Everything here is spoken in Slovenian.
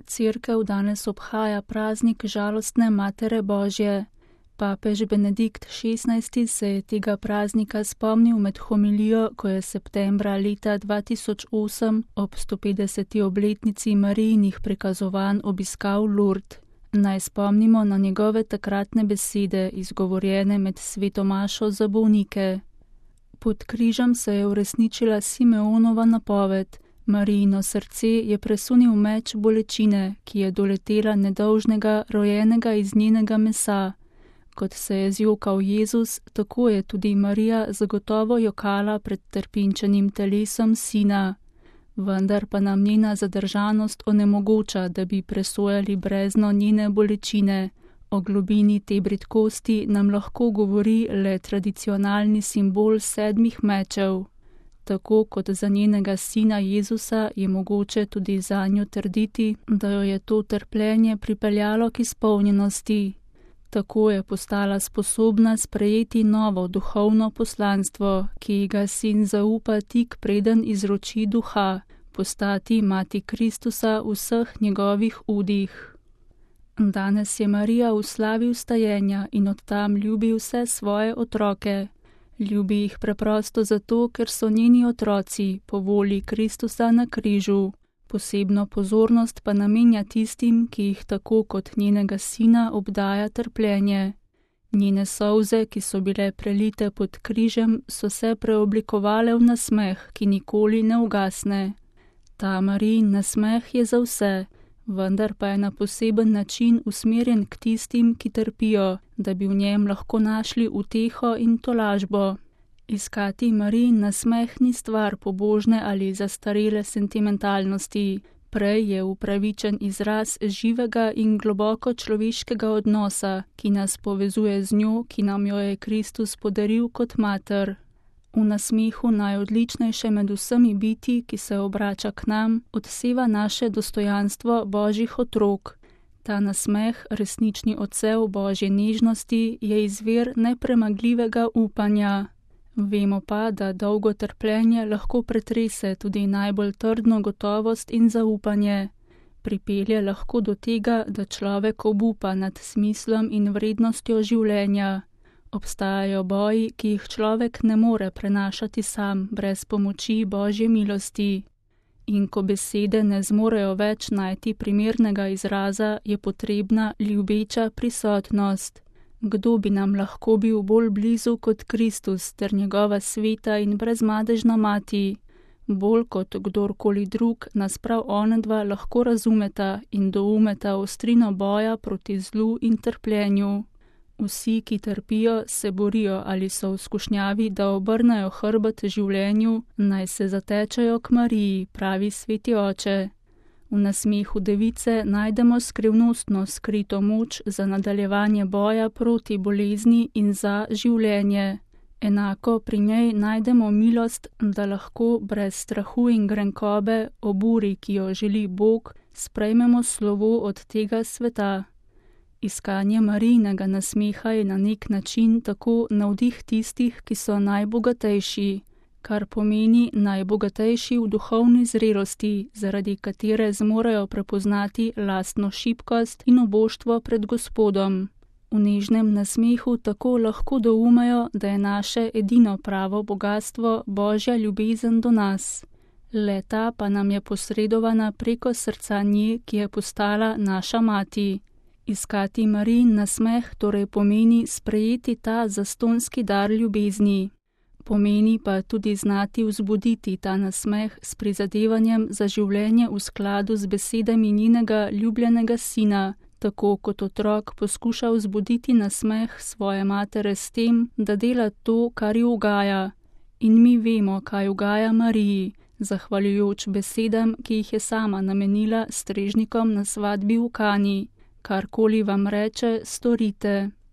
Cerkev danes obhaja praznik žalostne Matere Božje. Papež Benedikt XVI se je tega praznika spomnil med homilijo, ko je septembra leta 2008 ob 150. obletnici Marijinih prikazovanj obiskal Lourdes. Naj spomnimo na njegove takratne besede, izgovorjene med sveto mašo za bolnike. Pod križem se je uresničila Simeonova napoved. Marijino srce je presunil meč bolečine, ki je doletela nedolžnega, rojenega iz njenega mesa. Kot se je zjokal Jezus, tako je tudi Marija zagotovo jokala pred trpinčenim telesom sina. Vendar pa nam njena zadržanost onemogoča, da bi presojali brezno njene bolečine. O globini te bridkosti nam lahko govori le tradicionalni simbol 7 mečev. Tako kot za njenega sina Jezusa je mogoče tudi zanjo trditi, da jo je to trpljenje pripeljalo k izpolnjenosti. Tako je postala sposobna sprejeti novo duhovno poslanstvo, ki ji ga sin zaupa tik preden izroči duha, postati mati Kristusa v vseh njegovih udih. Danes je Marija v slavi vstajenja in od tam ljubi vse svoje otroke. Ljubi jih preprosto zato, ker so njeni otroci po volji Kristusa na križu. Posebno pozornost pa namenja tistim, ki jih tako kot njenega sina obdaja trpljenje. Njene solze, ki so bile prelite pod križem, so se preoblikovale v nasmeh, ki nikoli ne ugasne. Ta Marijin nasmeh je za vse, vendar pa je na poseben način usmerjen k tistim, ki trpijo, da bi v njem lahko našli uteho in tolažbo. Iskati Marijin nasmeh ni stvar pobožne ali zastarele sentimentalnosti, prej je upravičen izraz živega in globoko človeškega odnosa, ki nas povezuje z njo, ki nam jo je Kristus podaril kot mater. V nasmehu najodličnejše med vsemi biti, ki se obrača k nam, odseva naše dostojanstvo Božjih otrok. Ta nasmeh, resnični odsev Božje nežnosti, je izvir nepremagljivega upanja. Vemo pa, da dolgo trpljenje lahko pretrese tudi najbolj trdno gotovost in zaupanje. Pripelje lahko do tega, da človek obupa nad smislom in vrednostjo življenja. Obstajajo boji, ki jih človek ne more prenašati sam, brez pomoči Božje milosti. In ko besede ne zmorejo več najti primernega izraza, je potrebna ljubeča prisotnost. Kdo bi nam lahko bil bolj blizu kot Kristus ter njegova sveta in brezmadežna mati? Bolj kot kdorkoli drug nas prav onadva lahko razumeta in doumeta ostrino boja proti zlu in trpljenju. Vsi, ki trpijo, se borijo ali so v skušnjavi, da obrnejo hrbet življenju, naj se zatečejo k Mariji, pravi sveti oče. V nasmehu device najdemo skrivnostno skrito moč za nadaljevanje boja proti bolezni in za življenje. Enako pri njej najdemo milost, da lahko brez strahu in grenkobe ob uri, ki jo želi Bog, sprejmemo slovo od tega sveta. Iskanje Marijinega nasmeha je na nek način tako navdih tistih, ki so najbogatejši, kar pomeni najbogatejši v duhovni zrelosti, zaradi katere zmorejo prepoznati lastno šibkost in oboštvo pred Gospodom. V nežnem nasmehu tako lahko doumejo, da je naše edino pravo bogatstvo Božja ljubezen do nas. Le-ta pa nam je posredovana preko srca nje, ki je postala naša mati. Iskati Marijin nasmeh torej pomeni sprejeti ta zastonski dar ljubezni. Pomeni pa tudi znati vzbuditi ta nasmeh s prizadevanjem za življenje v skladu z besedami njenega ljubljenega sina, tako kot otrok poskuša vzbuditi nasmeh svoje matere s tem, da dela to, kar ji ugaja. In mi vemo, kaj ugaja Mariji, zahvaljujoč besedam, ki jih je sama namenila strežnikom na svatbi v Kani. Karkoli vam reče, storite.